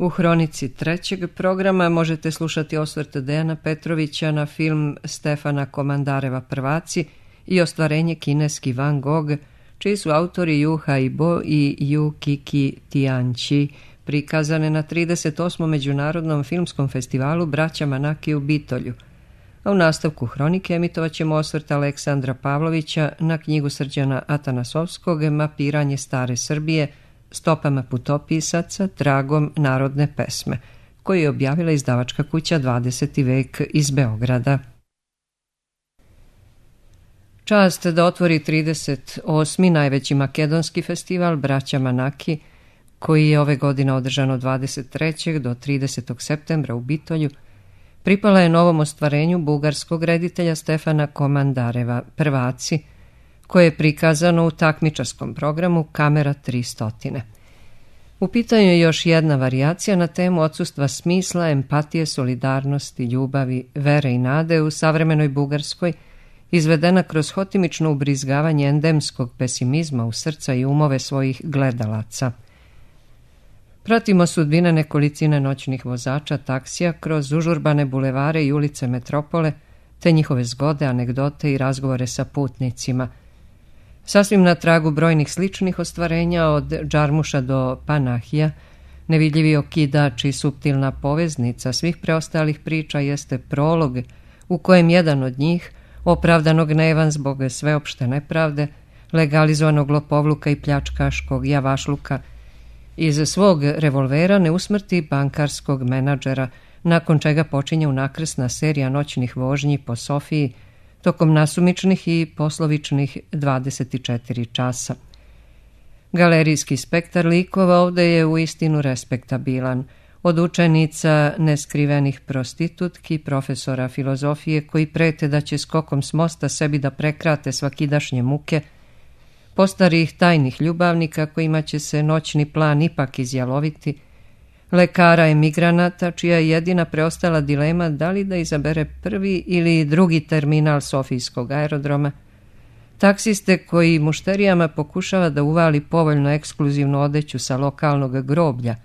U hronici trećeg programa možete slušati osvrt Dejana Petrovića na film Stefana Komandareva Prvaci i ostvarenje kineski Van Gogh, čiji su autori Ju Haibo i Ju Kiki Tianqi, prikazane na 38. Međunarodnom filmskom festivalu Braća Manaki u Bitolju. A u nastavku hronike emitovat ćemo osvrt Aleksandra Pavlovića na knjigu Srđana Atanasovskog Mapiranje stare Srbije stopama putopisaca tragom narodne pesme, koju je objavila izdavačka kuća 20. vek iz Beograda. Čast da otvori 38. najveći makedonski festival Braća Manaki, koji je ove godine održan od 23. do 30. septembra u Bitolju, pripala je novom ostvarenju bugarskog reditelja Stefana Komandareva Prvaci, koje je prikazano u takmičarskom programu Kamera 300. U pitanju je još jedna varijacija na temu odsustva smisla, empatije, solidarnosti, ljubavi, vere i nade u savremenoj Bugarskoj, izvedena kroz hotimično ubrizgavanje endemskog pesimizma u srca i umove svojih gledalaca. Pratimo sudbine nekolicine noćnih vozača taksija kroz užurbane bulevare i ulice metropole, te njihove zgode, anegdote i razgovore sa putnicima. Sasvim na tragu brojnih sličnih ostvarenja od Džarmuša do Panahija, nevidljivi okidač i suptilna poveznica svih preostalih priča jeste prolog u kojem jedan od njih, opravdanog gnevan zbog sveopšte nepravde, legalizovanog lopovluka i pljačkaškog javašluka, iz svog revolvera ne usmrti bankarskog menadžera, nakon čega počinje unakrsna serija noćnih vožnji po Sofiji, tokom nasumičnih i poslovičnih 24 časa. Galerijski spektar likova ovde je uistinu respektabilan, od učenica neskrivenih prostitutki, profesora filozofije koji prete da će skokom s mosta sebi da prekrate svakidašnje muke, postarih tajnih ljubavnika kojima će se noćni plan ipak izjaloviti, lekara emigranata čija je jedina preostala dilema da li da izabere prvi ili drugi terminal Sofijskog aerodroma, taksiste koji mušterijama pokušava da uvali povoljno ekskluzivnu odeću sa lokalnog groblja,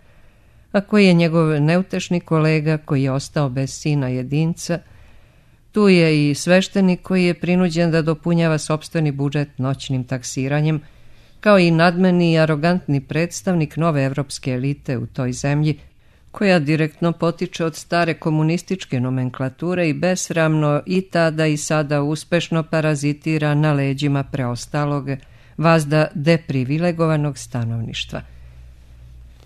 a koji je njegov neutešni kolega koji je ostao bez sina jedinca. Tu je i sveštenik koji je prinuđen da dopunjava sopstveni budžet noćnim taksiranjem, kao i nadmeni i arogantni predstavnik nove evropske elite u toj zemlji, koja direktno potiče od stare komunističke nomenklature i besramno i tada i sada uspešno parazitira na leđima preostalog, vazda deprivilegovanog stanovništva.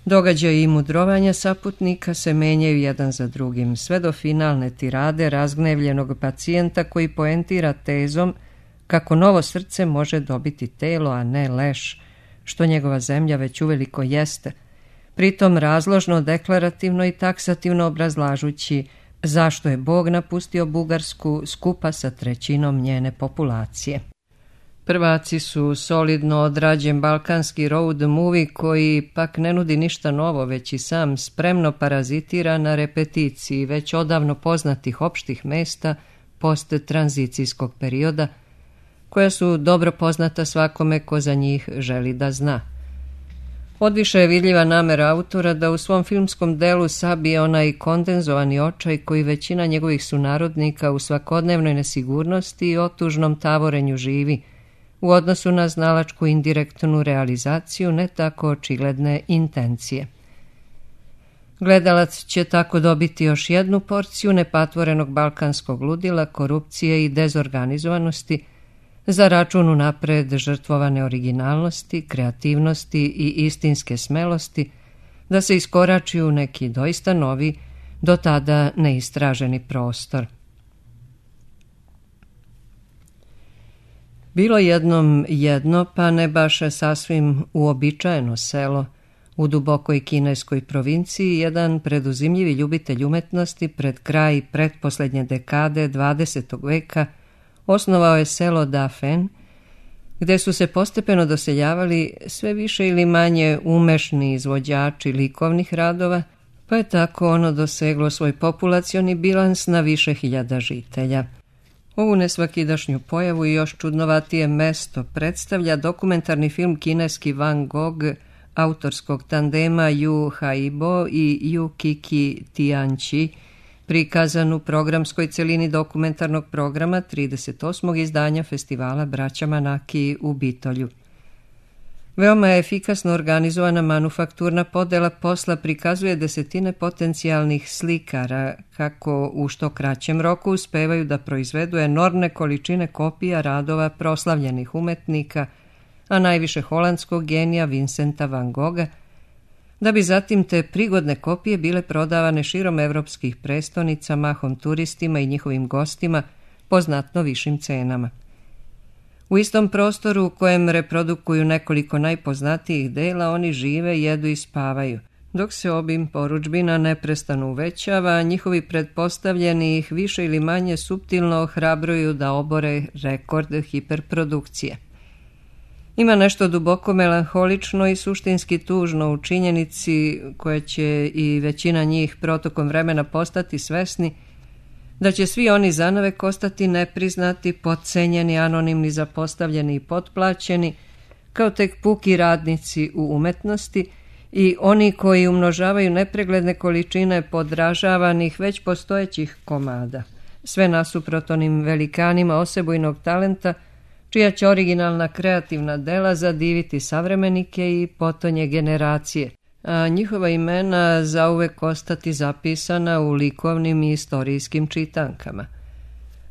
Događaji i mudrovanja saputnika se menjaju jedan za drugim, sve do finalne tirade razgnevljenog pacijenta koji poentira tezom kako novo srce može dobiti telo, a ne leš, što njegova zemlja već uveliko jeste, pritom razložno, deklarativno i taksativno obrazlažući zašto je Bog napustio Bugarsku skupa sa trećinom njene populacije. Prvaci su solidno odrađen balkanski road movie koji pak ne nudi ništa novo, već i sam spremno parazitira na repeticiji već odavno poznatih opštih mesta post-tranzicijskog perioda, koja su dobro poznata svakome ko za njih želi da zna. Odviše je vidljiva namera autora da u svom filmskom delu sabije onaj kondenzovani očaj koji većina njegovih sunarodnika u svakodnevnoj nesigurnosti i otužnom tavorenju živi, u odnosu na znalačku indirektnu realizaciju ne tako očigledne intencije. Gledalac će tako dobiti još jednu porciju nepatvorenog balkanskog ludila, korupcije i dezorganizovanosti, za račun unapred žrtvovane originalnosti, kreativnosti i istinske smelosti, da se iskorači u neki doista novi, do tada neistraženi prostor. Bilo jednom jedno, pa ne baš sasvim uobičajeno selo, u dubokoj kineskoj provinciji, jedan preduzimljivi ljubitelj umetnosti pred kraj pretposlednje dekade 20. veka osnovao je selo Dafen, gde su se postepeno doseljavali sve više ili manje umešni izvođači likovnih radova, pa je tako ono doseglo svoj populacioni bilans na više hiljada žitelja. Ovu nesvakidašnju pojavu i još čudnovatije mesto predstavlja dokumentarni film kineski Van Gogh autorskog tandema Yu Haibo i Yu Kiki Tianchi, prikazan u programskoj celini dokumentarnog programa 38. izdanja festivala Braća Manaki u Bitolju. Veoma je efikasno organizovana manufakturna podela posla prikazuje desetine potencijalnih slikara kako u što kraćem roku uspevaju da proizvedu enormne količine kopija radova proslavljenih umetnika, a najviše holandskog genija Vincenta van Gogha, da bi zatim te prigodne kopije bile prodavane širom evropskih prestonica, mahom turistima i njihovim gostima po znatno višim cenama. U istom prostoru u kojem reprodukuju nekoliko najpoznatijih dela, oni žive, jedu i spavaju, dok se obim porudžbina neprestano uvećava, a njihovi pretpostavljeni ih više ili manje suptilno ohrabruju da obore rekord hiperprodukcije. Ima nešto duboko melanholično i suštinski tužno u činjenici koje će i većina njih protokom vremena postati svesni da će svi oni zanavek ostati nepriznati, potcenjeni, anonimni, zapostavljeni i potplaćeni, kao tek puki radnici u umetnosti i oni koji umnožavaju nepregledne količine podražavanih već postojećih komada, sve nasuprot onim velikanima osebujnog talenta, čija će originalna kreativna dela zadiviti savremenike i potonje generacije, a njihova imena zauvek ostati zapisana u likovnim i istorijskim čitankama.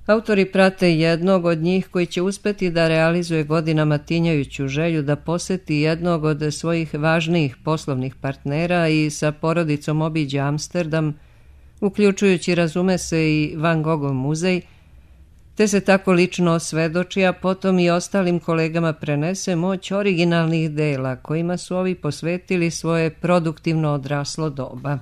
Autori prate jednog od njih koji će uspeti da realizuje godinama tinjajuću želju da poseti jednog od svojih važnijih poslovnih partnera i sa porodicom obiđe Amsterdam, uključujući, razume se, i Van Gogov muzej, te se tako lično osvedoči, a potom i ostalim kolegama prenese moć originalnih dela kojima su ovi posvetili svoje produktivno odraslo doba.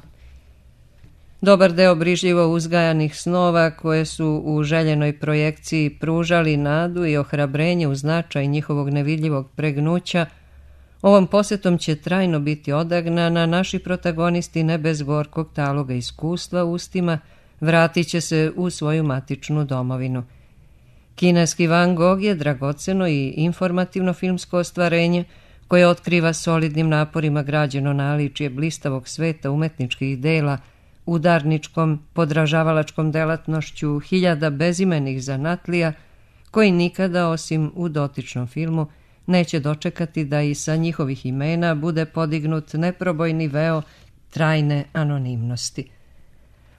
Dobar deo brižljivo uzgajanih snova koje su u željenoj projekciji pružali nadu i ohrabrenje u značaj njihovog nevidljivog pregnuća, ovom posetom će trajno biti odagnana, naši protagonisti ne bez gorkog taloga iskustva ustima vratit će se u svoju matičnu domovinu. Kineski Van Gogh je dragoceno i informativno filmsko ostvarenje koje otkriva solidnim naporima građeno naličje blistavog sveta umetničkih dela, udarničkom, podražavalačkom delatnošću hiljada bezimenih zanatlija koji nikada, osim u dotičnom filmu, neće dočekati da i sa njihovih imena bude podignut neprobojni veo trajne anonimnosti.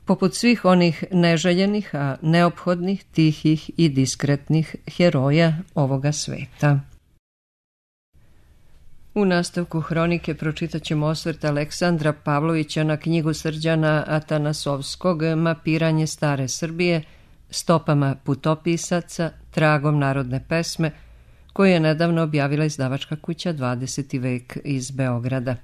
Poput svih onih neželjenih, a neophodnih, tihih i diskretnih heroja ovoga sveta. U nastavku hronike pročitat ćemo osvrt Aleksandra Pavlovića na knjigu Srđana Atanasovskog Mapiranje stare Srbije, stopama putopisaca, tragom narodne pesme, koju je nedavno objavila izdavačka kuća 20. vek iz Beograda.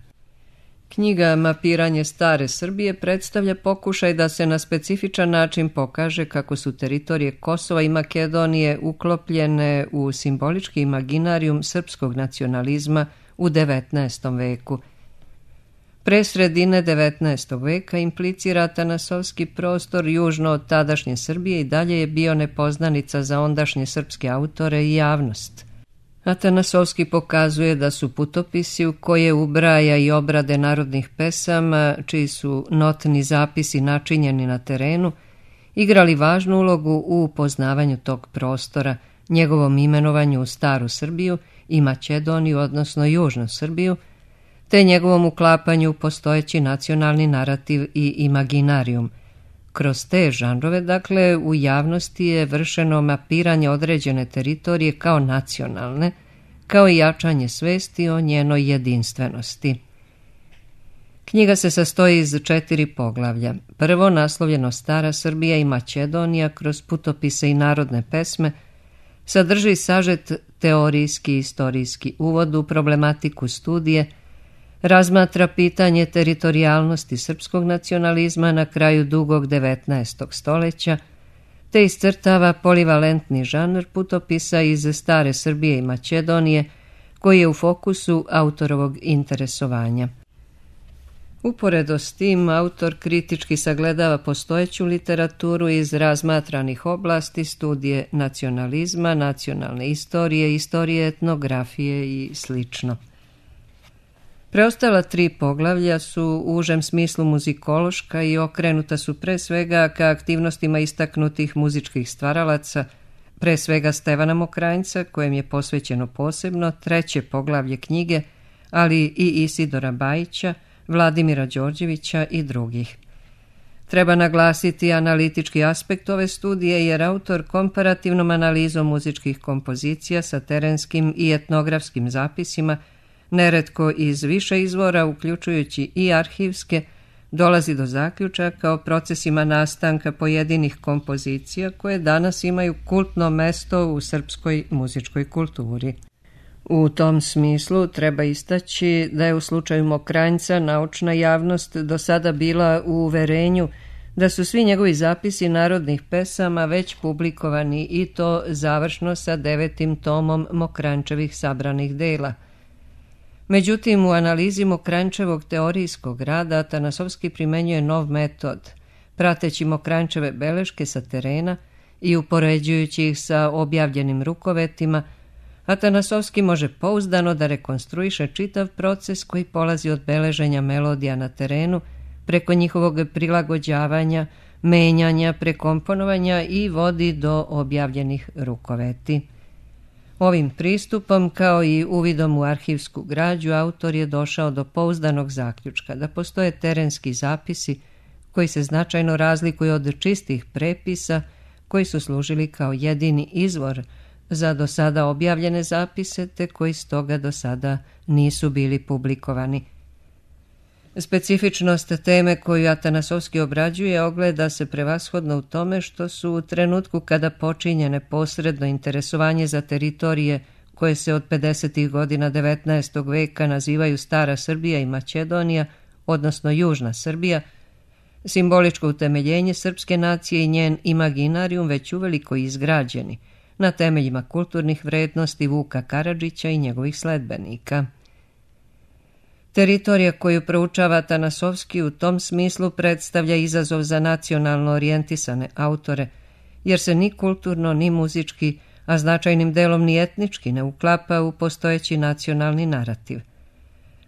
Knjiga Mapiranje stare Srbije predstavlja pokušaj da se na specifičan način pokaže kako su teritorije Kosova i Makedonije uklopljene u simbolički imaginarijum srpskog nacionalizma u 19. veku. Pre sredine 19. veka implicira Atanasovski prostor južno od tadašnje Srbije i dalje je bio nepoznanica za ondašnje srpske autore i javnost. Atanasovski pokazuje da su putopisi u koje ubraja i obrade narodnih pesama, čiji su notni zapisi načinjeni na terenu, igrali važnu ulogu u upoznavanju tog prostora, njegovom imenovanju u Staru Srbiju i Makedoniju, odnosno Južnu Srbiju, te njegovom uklapanju u postojeći nacionalni narativ i imaginarijum. Kroz te žanrove, dakle, u javnosti je vršeno mapiranje određene teritorije kao nacionalne, kao i jačanje svesti o njenoj jedinstvenosti. Knjiga se sastoji iz 4 poglavlja. Prvo, naslovljeno Stara Srbija i Makedonija kroz putopise i narodne pesme, sadrži sažet teorijski i istorijski uvod u problematiku studije, razmatra pitanje teritorijalnosti srpskog nacionalizma na kraju dugog 19. stoljeća, te iscrtava polivalentni žanr putopisa iz Stare Srbije i Makedonije, koji je u fokusu autorovog interesovanja. Uporedo s tim, autor kritički sagledava postojeću literaturu iz razmatranih oblasti, studije nacionalizma, nacionalne istorije, istorije etnografije i sl. Preostala 3 poglavlja su u užem smislu muzikološka i okrenuta su pre svega ka aktivnostima istaknutih muzičkih stvaralaca, pre svega Stevana Mokranjca, kojem je posvećeno posebno 3. poglavlje knjige, ali i Isidora Bajića, Vladimira Đorđevića i drugih. Treba naglasiti analitički aspekt ove studije jer autor komparativnom analizom muzičkih kompozicija sa terenskim i etnografskim zapisima, neretko iz više izvora, uključujući i arhivske, dolazi do zaključaka o procesima nastanka pojedinih kompozicija koje danas imaju kultno mesto u srpskoj muzičkoj kulturi. U tom smislu treba istaći da je u slučaju Mokranjca naučna javnost do sada bila u uverenju da su svi njegovi zapisi narodnih pesama već publikovani i to završno sa 9. tomom Mokranjčevih sabranih dela. Međutim, u analizi Mokranjčevog teorijskog rada Atanasovski primenjuje nov metod, prateći Mokranjčeve beleške sa terena i upoređujući ih sa objavljenim rukovetima. Atanasovski može pouzdano da rekonstruiše čitav proces koji polazi od beleženja melodija na terenu, preko njihovog prilagođavanja, menjanja, prekomponovanja i vodi do objavljenih rukoveti. Ovim pristupom, kao i uvidom u arhivsku građu, autor je došao do pouzdanog zaključka da postoje terenski zapisi koji se značajno razlikuju od čistih prepisa koji su služili kao jedini izvor za do sada objavljene zapise, te koji stoga do sada nisu bili publikovani. Specifičnost teme koju Atanasovski obrađuje ogleda se prevashodno u tome što su u trenutku kada počinje neposredno interesovanje za teritorije koje se od 50. godina 19. veka nazivaju Stara Srbija i Makedonija, odnosno Južna Srbija, simboličko utemeljenje srpske nacije i njen imaginarijum već uveliko izgrađeni na temeljima kulturnih vrednosti Vuka Karadžića i njegovih sledbenika. Teritorija koju proučava Atanasovski u tom smislu predstavlja izazov za nacionalno orijentisane autore, jer se ni kulturno, ni muzički, a značajnim delom ni etnički ne uklapa u postojeći nacionalni narativ.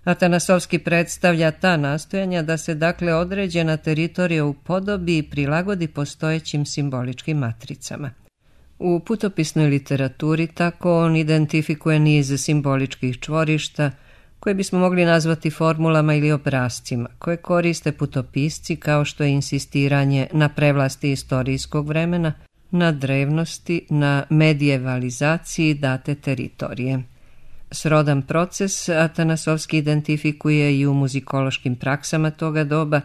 Atanasovski predstavlja ta nastojanja da se dakle određena teritorija upodobi i prilagodi postojećim simboličkim matricama. U putopisnoj literaturi tako on identifikuje niz simboličkih čvorišta, koje bismo mogli nazvati formulama ili obrascima, koje koriste putopisci kao što je insistiranje na prevlasti istorijskog vremena, na drevnosti, na medijevalizaciji date teritorije. Srodan proces Atanasovski identifikuje i u muzikološkim praksama toga doba,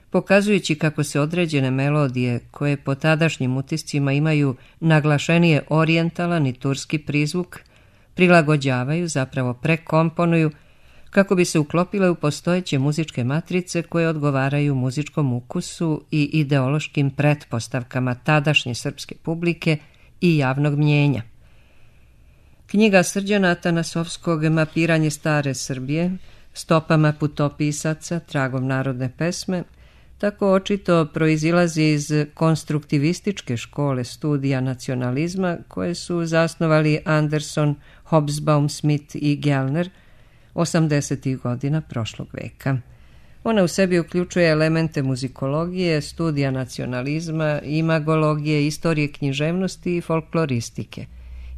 pokazujući kako se određene melodije, koje po tadašnjim utiscima imaju naglašenije orijentalan i turski prizvuk, prilagođavaju, zapravo prekomponuju, kako bi se uklopile u postojeće muzičke matrice koje odgovaraju muzičkom ukusu i ideološkim pretpostavkama tadašnje srpske publike i javnog mnjenja. Knjiga Srđana Atanasovskog Mapiranje stare Srbije, stopama putopisaca, tragom narodne pesme, tako očito proizilazi iz konstruktivističke škole studija nacionalizma koje su zasnovali Anderson, Hobsbawm, Smith i Gellner 80. godina prošlog veka. Ona u sebi uključuje elemente muzikologije, studija nacionalizma, imagologije, istorije književnosti i folkloristike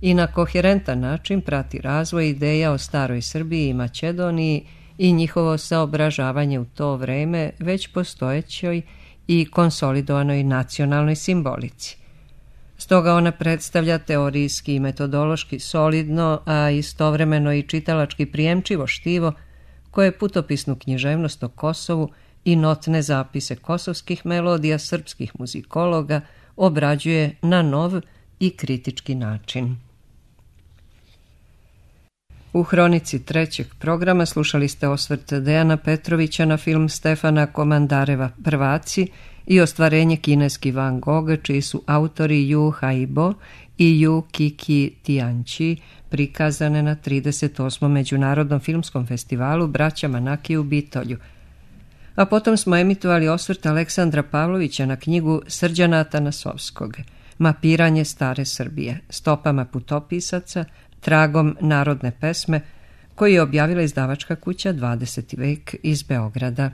i na koherentan način prati razvoj ideja o staroj Srbiji i Makedoniji i njihovo saobražavanje u to vreme već postojećoj i konsolidovanoj nacionalnoj simbolici. Stoga ona predstavlja teorijski i metodološki solidno, a istovremeno i čitalački prijemčivo štivo koje putopisnu književnost o Kosovu i notne zapise kosovskih melodija srpskih muzikologa obrađuje na nov i kritički način. U hronici 3. programa slušali ste osvrt Dejana Petrovića na film Stefana Komandareva Prvaci i ostvarenje kineski Van Gogh, čiji su autori Yu Haibo i Yu Kiki Tianchi, prikazane na 38. Međunarodnom filmskom festivalu Braća Manaki u Bitolju. A potom smo emitovali osvrt Aleksandra Pavlovića na knjigu Srđana Atanasovskog Mapiranje stare Srbije, stopama putopisaca, tragom narodne pesme, koji je objavila izdavačka kuća 20. vek iz Beograda.